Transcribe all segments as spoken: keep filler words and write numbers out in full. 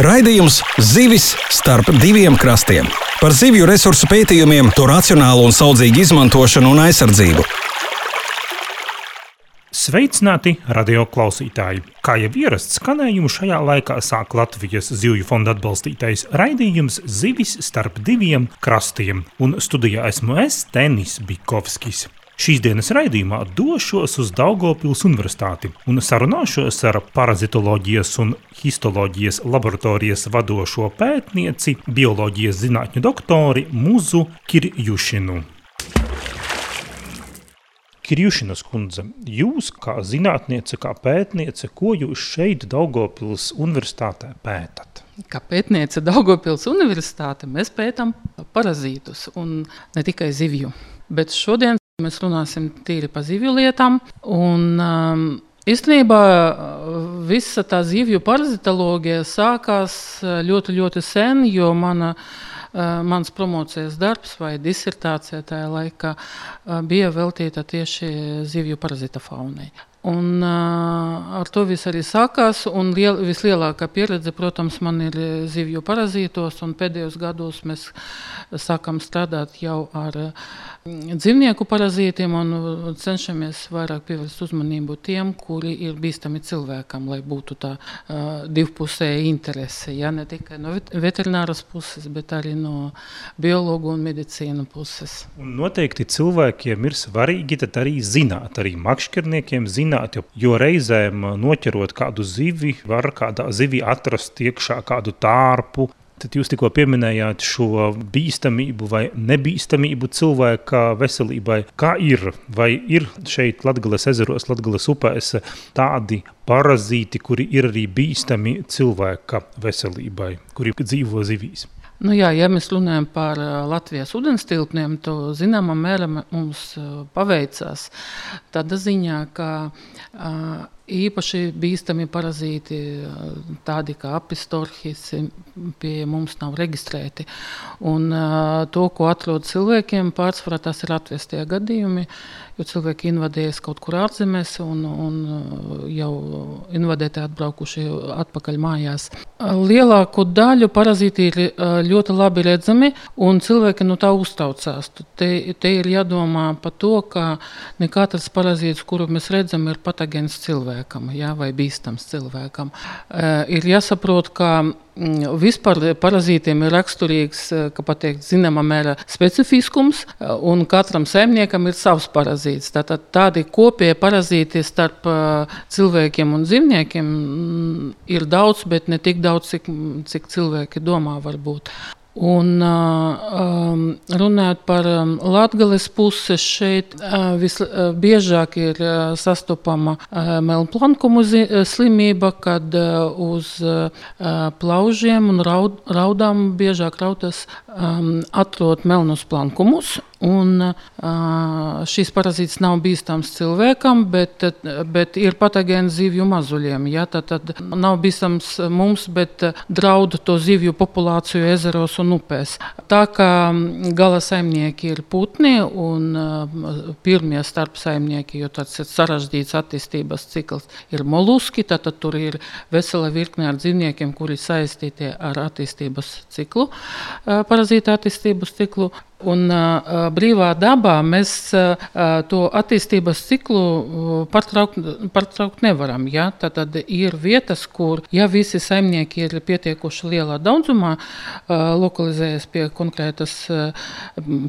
Raidījums Zivis starp diviem krastiem. Par zivju resursu pētījumiem, to racionālu un saudzīgu izmantošanu un aizsardzību. Sveicināti radio klausītāji! Kā jau ierasts skanējumu šajā laikā sāk Latvijas Zivju fonda atbalstītais raidījums Zivis starp diviem krastiem, un studijā esmu es, Tenis Bikovskis. Šīs dienas raidījumā došos uz Daugavpils Universitāti un sarunāšos ar parazitoloģijas un histoloģijas laboratorijas vadošo pētnieci, bioloģijas zinātņu doktori Muzu Kirjušinu. Kirjušinas kundze, jūs kā zinātniece, kā pētniece, ko jūs šeit Daugavpils Universitātē pētat? Kā pētniece Daugavpils Universitāte mēs pētam parazītus un ne tikai zivju, bet šodien mēs runāsim tīri par zivju lietām, un um, īstenībā visa tā zivju parazitoloģija sākās ļoti, ļoti sen, jo mana, uh, mans promocijas darbs vai disertācija tajā laikā uh, bija veltīta tieši zivju parazita faunai. Un uh, ar to viss arī sākās, un liel, vislielākā pieredze, protams, man ir zivju parazītos, un pēdējos gados mēs sākam strādāt jau ar dzīvnieku parazītiem un cenšamies vairāk pievērst uzmanību tiem, kuri ir bīstami cilvēkam, lai būtu tā uh, divpusēja interese, ja, ne tikai no veterināras puses, bet arī no biologu un medicīnu puses. Un noteikti cilvēkiem ir svarīgi tad arī zināt, arī makšķerniekiem zināt, jo, jo reizēm noķerot kādu zivi, var kādā zivi atrast iekšā kādu tārpu. Tad jūs tikko pieminējāt šo bīstamību vai nebīstamību cilvēka veselībai. Kā ir? Vai ir šeit Latgales ezeros, Latgales upēs tādi parazīti, kuri ir arī bīstami cilvēka veselībai, kuri dzīvo zivīs? Nu jā, ja mēs runājam par Latvijas ūdenstilpniem, to zināmā mērā mums paveicās tādā ziņā, ka uh, īpaši bīstami parazīti, tādi kā apistorhis, pie mums nav reģistrēti. Un uh, to, ko atrod cilvēkiem, pārsvarā tas ir atvestie gadījumi, jo cilvēki invadējas kaut kur ārzemēs un, un jau invadēti atbraukuši atpakaļ mājās. Lielāko daļu parazīti ir ļoti labi redzami, un cilvēki no tā uztraucās. Te, te ir jādomā par to, ka ne katrs parazīts, kuru mēs redzam, ir patogēns cilvēkam, jā, vai bīstams cilvēkam. Ir jāsaprot, ka vispār parazītiem ir raksturīgs, kā pateikt, zināmā mērā specifiskums, un katram saimniekam ir savs parazīts. Tātad tādi kopie parazīti starp cilvēkiem un dzīvniekiem ir daudz, bet ne tik daudz, cik, cik cilvēki domā varbūt. Un um, runājot par um, Latgales puses šeit, uh, visbiežāk ir uh, sastopama uh, melnplankumu zi- slimība, kad uh, uz uh, plaužiem un raud, raudām biežāk rautas um, atrod melnus plankumus. Un uh, šīs parazīts nav bīstams cilvēkam, bet, bet ir patogēns zivju mazuļiem. Ja? Tad, tad nav bīstams mums, bet draud to zivju populāciju ezeros un upēs. Tā kā gala saimnieki ir putni un uh, pirmie starp saimnieki, jo tāds ir sarežģīts attīstības cikls, ir moluski, tad, tad tur ir vesela virkne ar dzīvniekiem, kuri saistīti ar attīstības ciklu, uh, parazīta attīstības ciklu. Un uh, brīvā dabā mēs uh, to attīstības ciklu uh, pārtraukt, pārtraukt nevaram. Ja? Tad, tad ir vietas, kur, ja visi saimnieki ir pietiekuši lielā daudzumā, uh, lokalizējas pie konkrētas, uh,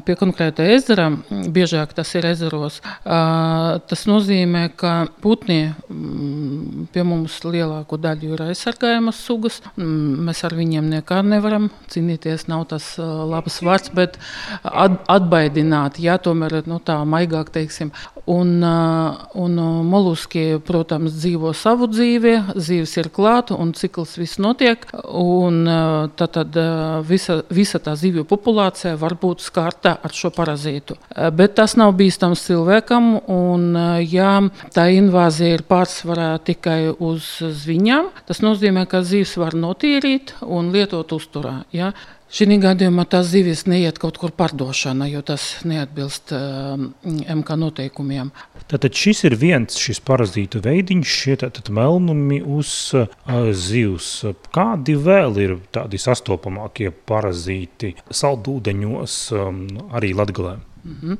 pie konkrēta ezera, biežāk tas ir ezeros, uh, tas nozīmē, ka putni um, pie mums lielāko daļu ir aizsargājamas sugas. Um, mēs ar viņiem nekā nevaram cīnīties, nav tas uh, labs vārds, bet atbaidināt, jā, tomēr nu, tā maigāk teiksim. Un, un moluski, protams, dzīvo savu dzīvi, zīves ir klāt un cikls viss notiek. Un tad, tad visa, visa tā zivju populācija var būt skarta ar šo parazītu. Bet tas nav bīstams cilvēkam, un ja tā invāzija ir pārsvarā tikai uz zviņām, tas nozīmē, ka zivs var notīrīt un lietot uzturā. Ja? Šī gadījumā tās zivis neiet kaut kur pārdošana, jo tas neatbilst uh, M K noteikumiem. melnumiem. Tātad šis ir viens šis parazītu veidiņš, šie tātad melnumi uz uh, zivs. Kādi vēl ir tādi sastopamākie parazīti saldūdeņos um, arī Latgalē? Mm-hmm.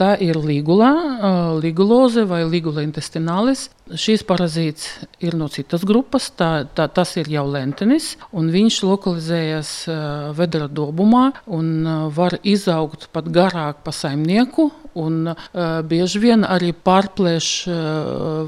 Tā ir ligula, uh, liguloze vai ligula intestinālis. Šīs parazīts ir no citas grupas, tā, tā, tas ir jau lentenis, un viņš lokalizējas uh, vedera dobumā un uh, var izaugt pat garāk pa saimnieku, un uh, bieži vien arī pārplēš uh,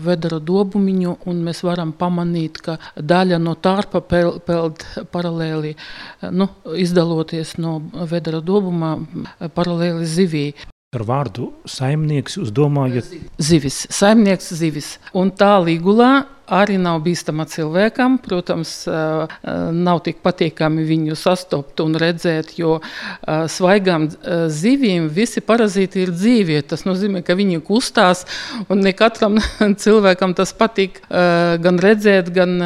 vedera dobumiņu, un mēs varam pamanīt, ka daļa no tārpa pel, peld paralēli, uh, nu, izdaloties no vedera dobumā uh, paralēli zivī. Ar vārdu saimnieks jūs domājat? Zivis, saimnieks zivis. Un tā ligulā arī nav bīstama cilvēkam. Protams, nav tik patīkami viņu sastopt un redzēt, jo svaigām zivīm visi parazīti ir dzīvi. Tas nozīmē, ka viņi kustās, un ne katram cilvēkam tas patīk gan redzēt, gan,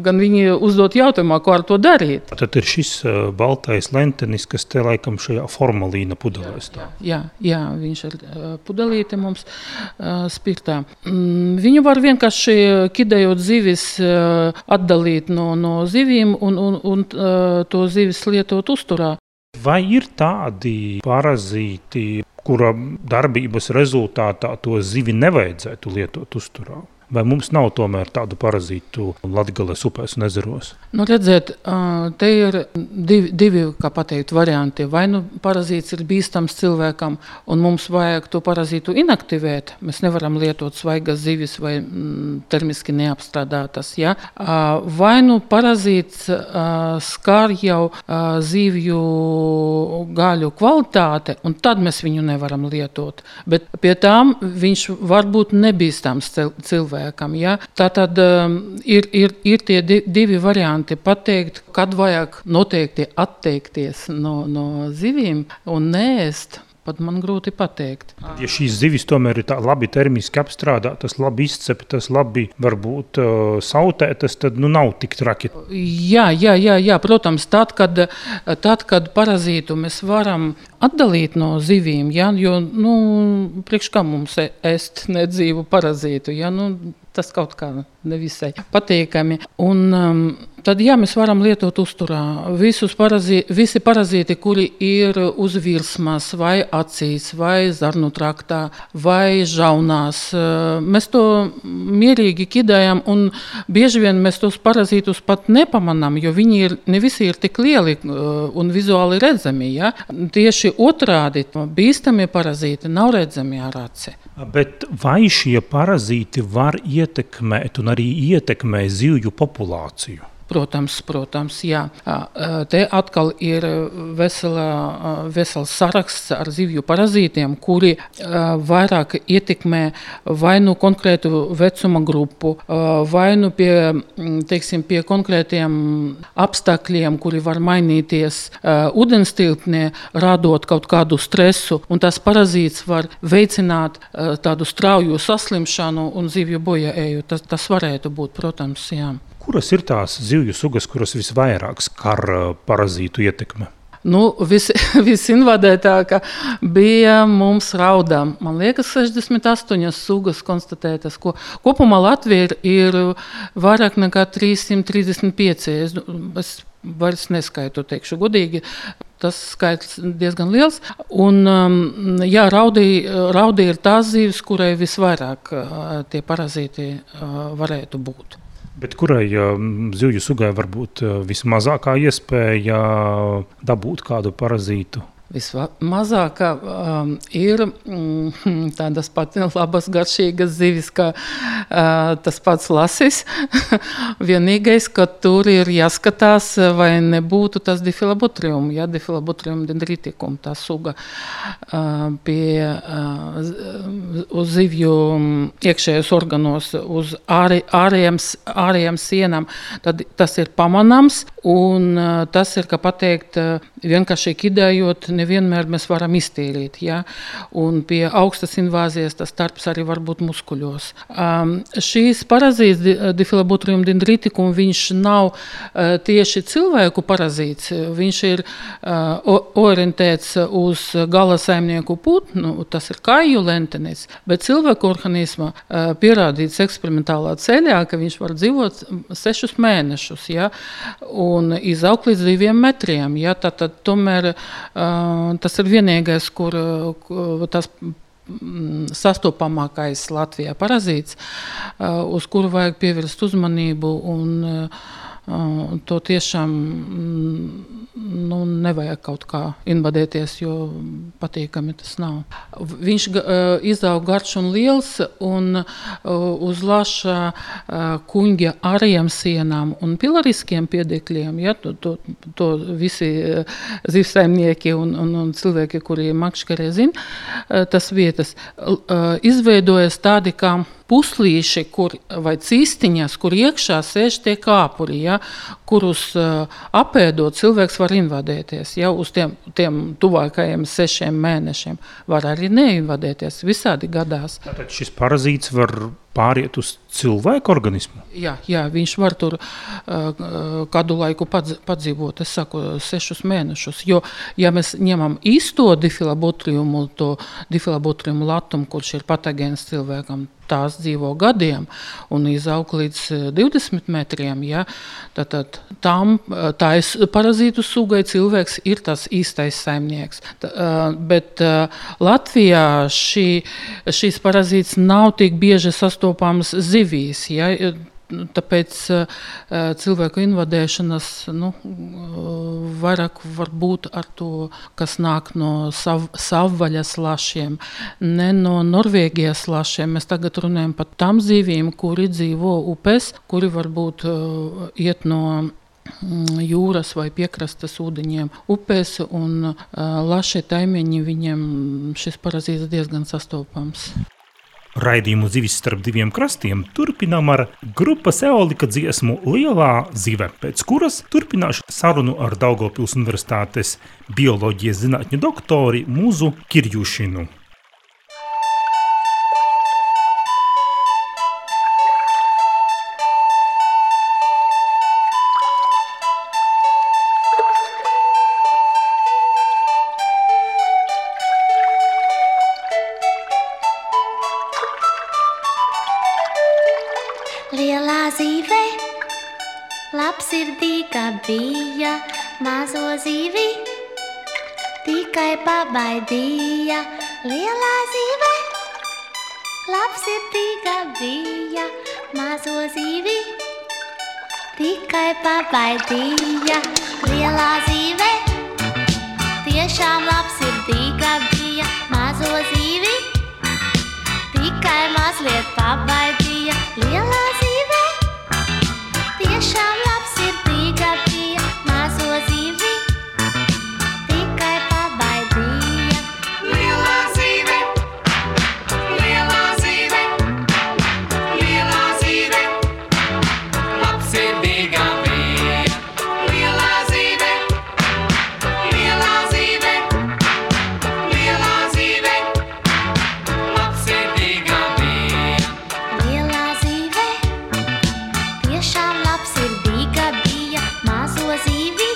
gan viņi uzdot jautājumā, ko ar to darīt. Tad ir šis baltais lentenis, kas te laikam šajā formalīna pudelē stāv. Jā, jā, viņš ir pudelīte mums spirtā. Viņu var vienkārši kidējot zivis, atdalīt no, no zivīm un, un, un to zivis lietot uzturā. Vai ir tādi parazīti, kura darbības rezultātā to zivi nevajadzētu lietot uzturā? Vai mums nav tomēr tādu parazītu Latgales upēs un ezeros? Nu, redziet, te ir divi, divi, kā pateikt, varianti. Vai nu parazīts ir bīstams cilvēkam, un mums vajag to parazītu inaktivēt. Mēs nevaram lietot svaigas zivis vai mm, termiski neapstrādātas. Ja? Vai nu parazīts skar jau zivju gaļu kvalitāte, un tad mēs viņu nevaram lietot. Bet pie tām viņš var būt nebīstams cilvēks. Ja? Tātad um, ir, ir, ir tie di, divi varianti pateikt, kad vajag noteikti atteikties no, no zivīm un neēst. Pat man grūti pateikt. Ja šīs zivis tomēr ir tā labi termiski apstrādātas, labi izceptas, labi varbūt uh, sautētas, tad nu nav tik traki. Jā, jā, jā, jā, protams, tad, kad, tad, kad parazītu mēs varam atdalīt no zivīm, ja, jo, nu, priekš kā mums ēst nedzīvu parazītu, ja, nu, tas kaut kā nevisai patīkami. Un um, tad, jā, mēs varam lietot uzturā visus parazīti, visi parazīti, kuri ir uz virsmas, vai acīs, vai zarnu traktā, vai žaunās. Mēs to mierīgi kidējam, un bieži vien mēs tos parazītus pat nepamanām, jo viņi ir, ne visi ir tik lieli un vizuāli redzami. Ja? Tieši otrādi, bīstami parazīti nav redzami ar aci. Bet vai šie parazīti var ietekmēt un arī ietekmē zivju populāciju? Protams, protams, jā. Te atkal ir vesela, vesels saraksts ar zivju parazītiem, kuri vairāk ietekmē vai nu konkrētu vecuma grupu, vai nu pie, teiksim, pie konkrētiem apstākļiem, kuri var mainīties ūdenstilpnē, radot kaut kādu stresu, un tas parazīts var veicināt tādu strauju saslimšanu un zivju bojāēju. Tas, tas varētu būt, protams, jā. Kuras ir tās zivju sugas, kuras visvairāk skar parazītu ietekme? Nu, vis, visinvadētāka bija mums raudā. Man liekas, sešdesmit astoņas sugas konstatētas, ko kopumā Latvija ir, ir vairāk nekā trīssimt trīsdesmit pieci. Es, es vairs neskaitu, teikšu godīgi. Tas skaits diezgan liels. Un, jā, raudī, raudī ir tās zivis, kurai visvairāk tie parazīti varētu būt. Bet kurai zivju sugai var būt vismazākā iespēja dabūt kādu parazītu? Vismazākā um, ir mm, tādas pat labas garšīgas zivis, kā uh, tas pats lasis. Vienīgais, ka tur ir jāskatās, vai nebūtu tas difilabotrium, ja, difilabotrium dendriticum, tā suga uh, pie uh, uz zivju iekšējos organos, uz ārē, ārējiem, ārējiem sienām, tad tas ir pamanāms, un uh, tas ir, kā pateikt, vienkārši kidējot, nevienmēr mēs varam iztīrīt. Ja? Un pie augstas invāzijas tas starps arī var būt muskuļos. Um, šīs parazīts, Difilobotrium dendriticum, viņš nav uh, tieši cilvēku parazīts, viņš ir uh, orientēts uz gala saimnieku putnu, tas ir kāju lentenis, bet cilvēku organisma uh, pierādīts eksperimentālā ceļā, ka viņš var dzīvot sešus mēnešus, ja? Un izaugt līdz diviem metriem. Ja? Tātad tomēr uh, tas ir vienīgais, kur uh, tas sastopamākais Latvijā parazīts, uh, uz kuru vajag pievērst uzmanību un uh, to tiešām nu, nevajag kaut kā invadēties, jo patīkami tas nav. Viņš uh, izaug garš un liels un uh, uz laša uh, kuņģa ariem sienām un pilariskiem piedekļiem, ja, to, to, to visi uh, zivsaimnieki un, un, un cilvēki, kuri makškerē zina, uh, tas vietas, uh, izveidojas tādi kā puslīši, kur, vai cistiņas, kur iekšā sēž tie kāpuri, ja, kurus uh, apēdot cilvēks var invadēties. Ja, uz tiem, tiem tuvākajiem sešiem mēnešiem var arī neinvadēties. Visādi gadās. Tātad šis parazīts var pāriet uz cilvēku organismu? Jā, jā, viņš var tur uh, kādu laiku padz, padzīvot, es saku, sešus mēnešus. Jo, ja mēs ņemam īsto difilobotriumu, to difilobotriumu latumu, kurš ir patogēns cilvēkam, tās dzīvo gadiem un izaug līdz divdesmit metriem. Ja? Tātad tam, tā ir parazītu sugai, cilvēks ir tas īstais saimnieks. Tā, bet Latvijā šī, šīs parazīts nav tik bieži sastopams zivīs. Ja? Tāpēc uh, cilvēku invadēšanas nu, vairāk var būt ar to, kas nāk no sav, savvaļas lašiem, ne no Norvēģijas lašiem. Mēs tagad runājam par tām zivīm, kuri dzīvo upes, kuri varbūt uh, iet no jūras vai piekrastes ūdeņiem upēs, un uh, lašie taimiņi, viņiem šis parazīts diezgan sastopams. Raidījumu Zivis starp diviem krastiem turpinām ar grupas Eolika dziesmu Lielā zive, pēc kuras turpināšu sarunu ar Daugavpils Universitātes bioloģijas zinātņu doktori Muzu Kirjušinu. Lielā zīve, labsirdīga bija, mazo zīvi tikai pabaidīja. Lielā zīve, labsirdīga bija, mazo zīvi tikai pabaidīja. Lielā zīve, tiešām labsirdīga bija, mazo zīvi tikai mazliet pabaidīja. Lielā zīve, tiešām labsirdīga bija, mazo zīvi tikai pabaidīja. Lielā zīve, lielā zīve, lielā zīve, labsirdīga bija. Lielā zīve, lielā zīve, lielā zīve, labsirdīga bija. Lielā zīve, tiešām labsirdīga bija, mazo zīvi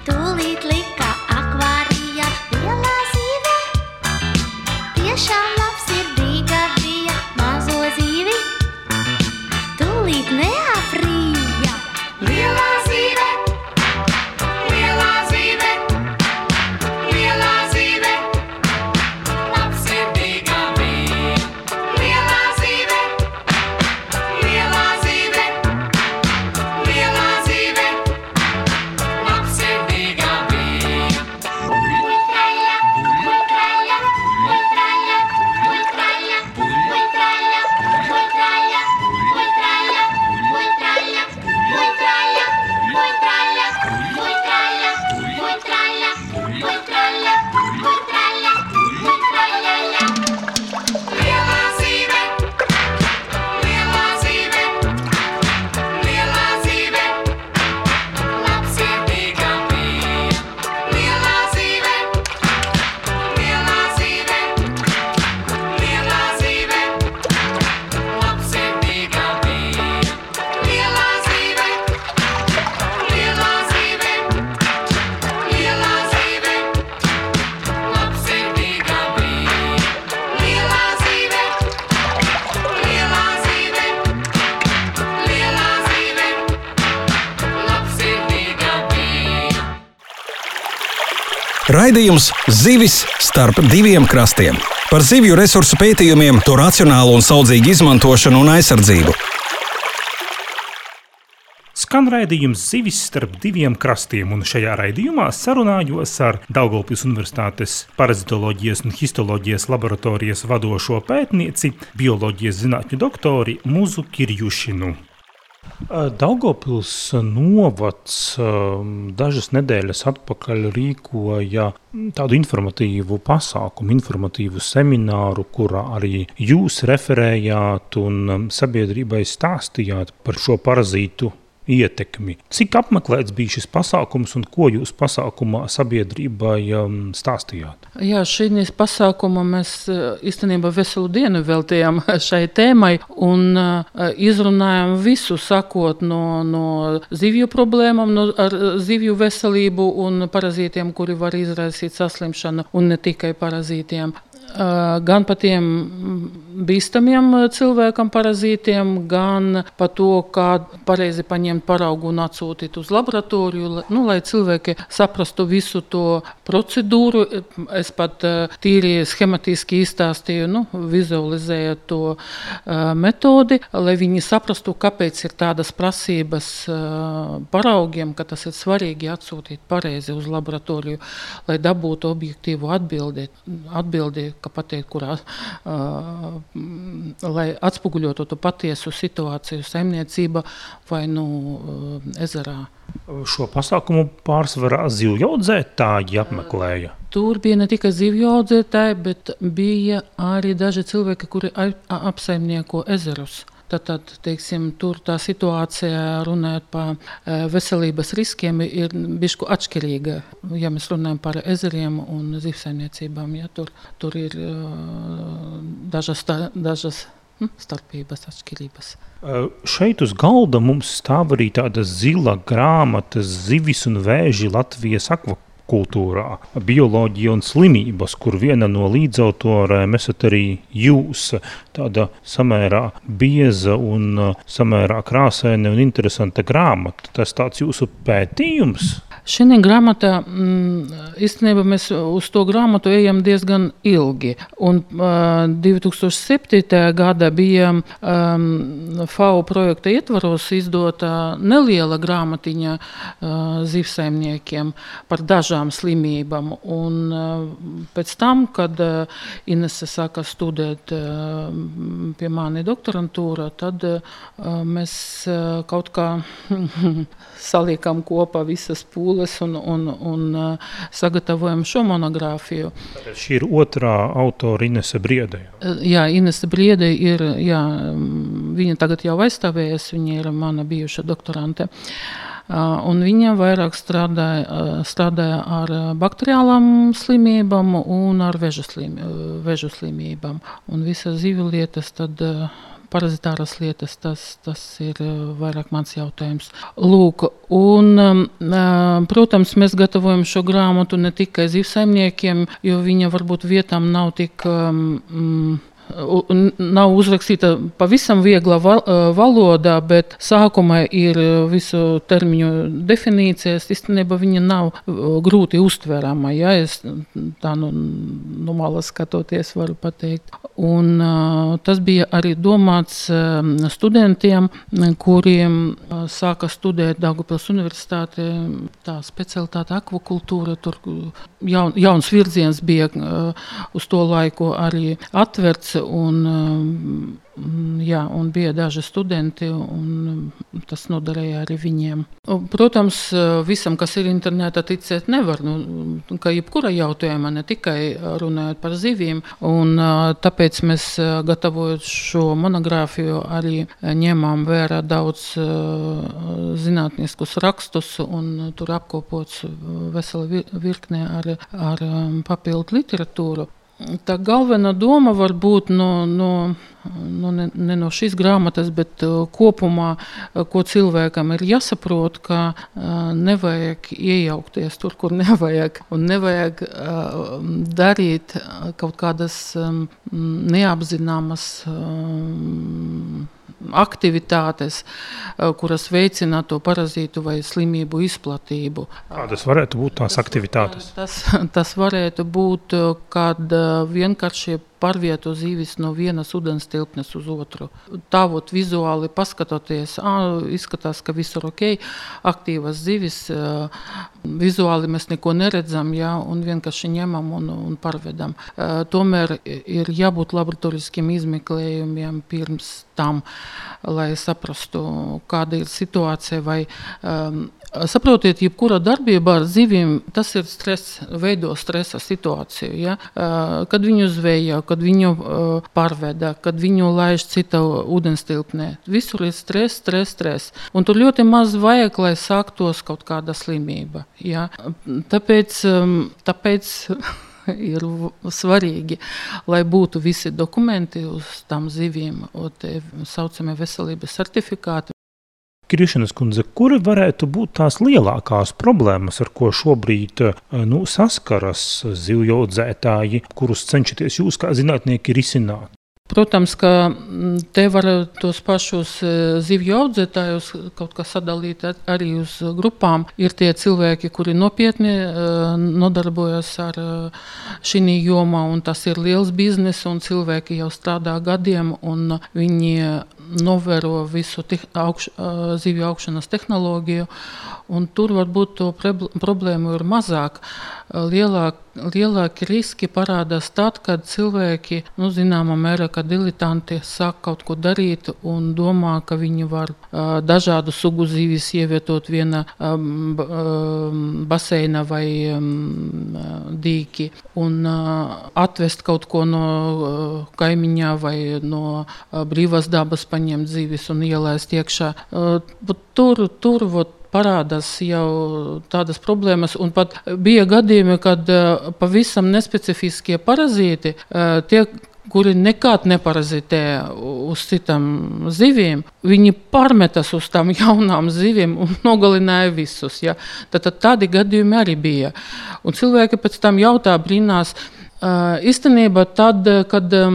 tūlīt lika akvārijā. Lielā zīve, tiešām labsirdīga bija, mazo zīvi tūlīt neaprīja. Raidījums Zivis starp diviem krastiem. Par zivju resursu pētījumiem, to racionālu un saudzīgu izmantošanu un aizsardzību. Skan raidījums Zivis starp diviem krastiem, un šajā raidījumā sarunājos ar Daugavpils Universitātes parazitoloģijas un histoloģijas laboratorijas vadošo pētnieci, bioloģijas zinātņu doktori Muzu Kirjušinu. Daugavpils novads dažas nedēļas atpakaļ rīkoja tādu informatīvu pasākumu, informatīvu semināru, kurā arī jūs referējāt un sabiedrībai stāstījāt par šo parazītu ietekmi. Cik apmeklēts bija šis pasākums un ko jūs pasākumā sabiedrībai um, stāstījāt? Jā, šīs pasākuma mēs īstenībā veselu dienu veltījām šai tēmai un uh, izrunājām visu, sakot no, no zivju problēmām, no, ar zivju veselību un parazītiem, kuri var izraisīt saslimšanu, un ne tikai parazītiem. Gan par tiem bīstamiem cilvēkam parazītiem, gan par to, kā pareizi paņemt paraugu un atsūtīt uz laboratoriju, nu, lai cilvēki saprastu visu to procedūru. Es pat tīri schematiski izstāstīju, nu, vizualizēju to uh, metodi, lai viņi saprastu, kāpēc ir tādas prasības uh, paraugiem, ka tas ir svarīgi atsūtīt pareizi uz laboratoriju, lai dabūtu objektīvu atbildi, atbildi ka pateikt, kurā, uh, lai atspoguļotu to patiesu situāciju saimniecība vai nu uh, ezerā. Šo pasākumu pārsvarā zivjaudzētāji apmeklēja? Tur bija ne tikai zivjaudzētāji, bet bija arī daži cilvēki, kuri apsaimnieko ezerus. Tātad, teiksim, tur tā situācija, runājot par veselības riskiem, ir bišku atšķirīga, ja mēs runājam par ezeriem un zivsaimniecībām. Ja, tur, tur ir uh, dažas, dažas hm, starpības, atšķirības. Uh, šeit uz galda mums stāv arī tāda zila grāmata Zivis un vēži Latvijas akvakultūrā. Kultūrā, bioloģija un slimības, kur viena no līdzautorēm esat arī jūs, tāda samērā bieza un samērā krāsaina un interesanta grāmata. Tas tāds jūsu pētījums? Šī grāmata, īstenībā mēs uz to grāmatu ejam diezgan ilgi. Un uh, divi tūkstoši septītajā gadā bija um, F A O projekta ietvaros izdota neliela grāmatiņa uh, zivsaimniekiem par dažām slimībām. Un uh, pēc tam, kad uh, Inese sāka studēt uh, pie mani doktorantūra, tad uh, mēs uh, kaut kā saliekam kopā visas pūles un, un, un uh, sagatavojam šo monogrāfiju. Šī ir otrā autora Inese Briede. Jā, Inese Briede ir, jā, viņa tagad jau aizstāvējas, viņa ir mana bijuša doktorante. Uh, un viņa vairāk strādāja, uh, strādāja ar bakteriālām slimībām un ar vežu, slim, uh, vežu slimībām. Un visas zivju lietas tad uh, parazitāras lietas, tas, tas ir vairāk mans jautājums. Lūk, un, protams, mēs gatavojam šo grāmatu ne tikai zivsaimniekiem, jo viņa varbūt vietām nav tik... Um, nav uzrakstīta pavisam viegla valodā, bet sākumā ir visu termiņu definīcijas. Īstenībā viņa nav grūti uztverama, ja es tā no, no malas skatoties varu pateikt. Un uh, tas bija arī domāts uh, studentiem, kuriem uh, sāka studēt Daugavpils Universitāte, tā specialitāte akvakultūra, tur jaun, jauns virziens bija uh, uz to laiku arī atverts. Un, jā, un bija daži studenti, un tas noderēja arī viņiem. Protams, visam, kas ir internetā, ticēt nevar, nu, ka jebkura jautājuma, ne tikai runājot par zivīm, un tāpēc mēs gatavojot šo monogrāfiju arī ņemām vērā daudz zinātniskus rakstus, un tur apkopots vesela virkne ar, ar papildu literatūru. Tā galvenā doma var būt no, no, no, ne, ne no šīs grāmatas, bet uh, kopumā, uh, ko cilvēkam ir jāsaprot, ka uh, nevajag iejaukties tur, kur nevajag, un nevajag uh, darīt kaut kādas um, neapzināmas um, aktivitātes, kuras veicina to parazītu vai slimību izplatību. Kādas varētu būt tās aktivitātes? Tas, tas varētu būt, kad vienkārši pārvieto zīvis no vienas ūdens tilpnes uz otru. Tāvot vizuāli paskatoties, ā, izskatās, ka visur ok, aktīvas zivis, vizuāli mēs neko neredzam, jā, un vienkārši ņemam un, un pārvedam. Tomēr ir jābūt laboratoriskiem izmeklējumiem pirms tam, lai saprastu, kāda ir situācija vai um, saprotiet, jebkura darbība ar zivīm, tas ir stress, veido stresa situāciju. Ja? Kad viņu zvejo, kad viņu pārveda, kad viņu laiž cita ūdenstilpnē. Visur ir stress, stress, stress. Un tur ļoti maz vajag, lai sāktos kaut kāda slimība. Ja? Tāpēc, tāpēc ir svarīgi, lai būtu visi dokumenti uz tām zivīm, un te saucamie veselības certifikāti. Krišanas kundze, kuri varētu būt tās lielākās problēmas, ar ko šobrīd nu, saskaras zivju audzētāji, kurus cenšaties jūs kā zinātnieki risināt? Protams, ka te var tos pašus zivju audzētājus kaut kā sadalīt arī uz grupām. Ir tie cilvēki, kuri nopietni nodarbojas ar šī jomā, un tas ir liels biznes, un cilvēki jau strādā gadiem, un viņi novēro visu te, augš, zivju augšanas tehnoloģiju, un tur varbūt to problēmu ir mazāk. Lielāk, lielāki riski parādās tad, kad cilvēki, nu, zināmā mērā, ka diletanti sāk kaut ko darīt un domā, ka viņi var uh, dažādu sugu zivis ievietot viena um, baseina vai um, dīki un uh, atvest kaut ko no uh, kaimiņā vai no uh, brīvās dabas paņemt zivis un ielaist iekšā. Uh, tur, tur, vot, parādās jau tādas problēmas, un pat bija gadījumi, kad pavisam nespecifiskie parazīti, tie, kuri nekad neparazitē uz citām zivīm, viņi pārmetas uz tām jaunām zivīm un nogalināja visus. Ja? Tad, tad tādi gadījumi arī bija. Un cilvēki pēc tam jautā, brīnās, Uh, īstenībā tad, kad um,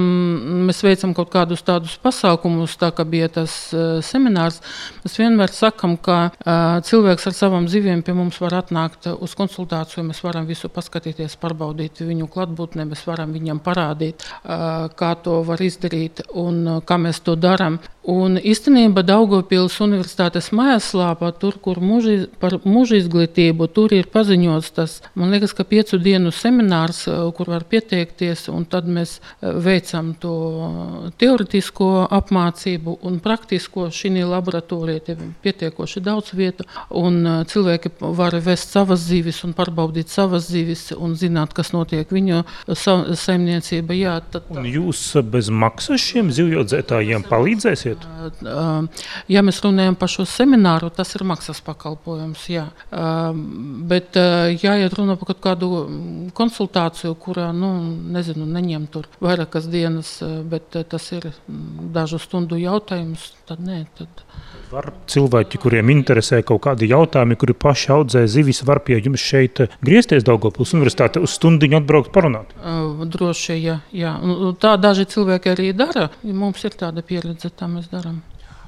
mēs veicam kaut kādus tādus pasākumus, tā kā bija tas uh, seminārs, mēs vienmēr sakam, ka uh, cilvēks ar savām zivīm pie mums var atnākt uz konsultāciju, mēs varam visu paskatīties, pārbaudīt viņu klātbūtnē, mēs varam viņam parādīt, uh, kā to var izdarīt un uh, kā mēs to daram. Un īstenībā Daugavpils universitātes mājaslapā, tur, kur muži, par mūža izglītību, tur ir paziņots tas, man liekas, ka piecu dienu seminārs, kur var pieteikties, un tad mēs veicam to teoretisko apmācību un praktisko šī laboratorija, pietiekoši daudz vietu, un cilvēki var vest savas zivis un pārbaudīt savas zivis un zināt, kas notiek viņu saimniecība. Jā, tad, un jūs bez maksas šiem zivjodzētājiem palīdzēsiet? Ja mēs runājam par šo semināru, tas ir maksas pakalpojums, jā. Bet jāiet runa par kaut kādu konsultāciju, kurā, nu, nezinu, neņem tur vairākas dienas, bet tas ir dažu stundu jautājums, tad nē, tad... Var cilvēki, kuriem interesē kaut kādi jautājumi, kuri paši audzē zivis, var pie jums šeit griezties Daugavpils universitāte uz stundiņu atbraukt parunāt? Droši, jā, jā. Tā daži cilvēki arī dara, mums ir tāda pieredze, tā mēs darām.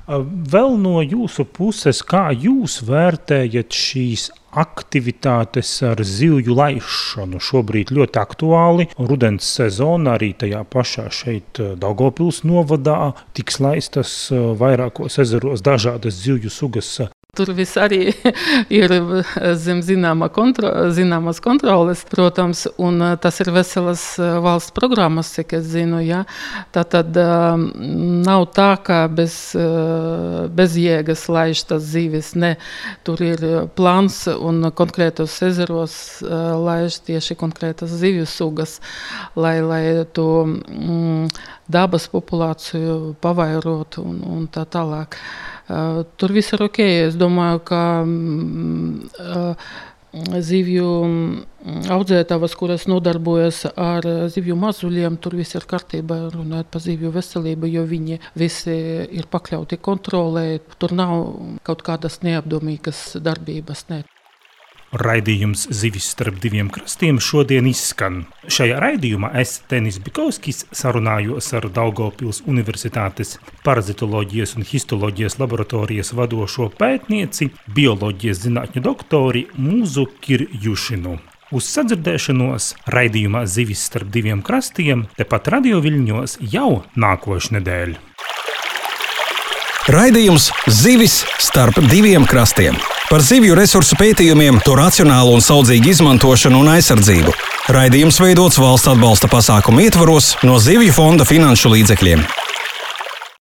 Vēl no jūsu puses, kā jūs vērtējat šīs aktivitātes ar zivju laišanu? Šobrīd ļoti aktuāli. Rudens sezona arī tajā pašā šeit Daugavpils novadā tiks laistas vairākos ezeros dažādas zivju sugas. Tur viss arī ir zem zināma kontro, zināmas kontroles, protams, un tas ir veselas valsts programmas, cik es zinu, ja. Tātad nav tā, ka bez, bez jēgas laiž tas zivis, ne. Tur ir plāns un konkrētos ezeros laiž tieši konkrētas zivju sugas, lai, lai to mm, dabas populāciju pavairotu un, un tā tālāk. Uh, tur viss ir ok. Es domāju, ka uh, zivju audzētavas, kuras nodarbojas ar zivju mazuļiem, tur viss ir kārtībā, runājot par zivju veselību, jo viņi visi ir pakļauti kontrolē. Tur nav kaut kādas neapdomīgas darbības. Ne. Raidījums Zivis starp diviem krastiem šodien izskan. Šajā raidījumā es, Tenis Bikovskis, sarunājos ar Daugavpils Universitātes parazitoloģijas un histoloģijas laboratorijas vadošo pētnieci, bioloģijas zinātņu doktori Mūzu Kirjušinu. Uz sadzirdēšanos raidījumā Zivis starp diviem krastiem tepat Radio Viļņos jau nākošu nedēļu. Raidījums Zivis starp diviem krastiem par zivju resursu pētījumiem, to racionālu un saudzīgu izmantošanu un aizsardzību. Raidījums veidots valsts atbalsta pasākumu ietvaros no Zivju fonda finanšu līdzekļiem.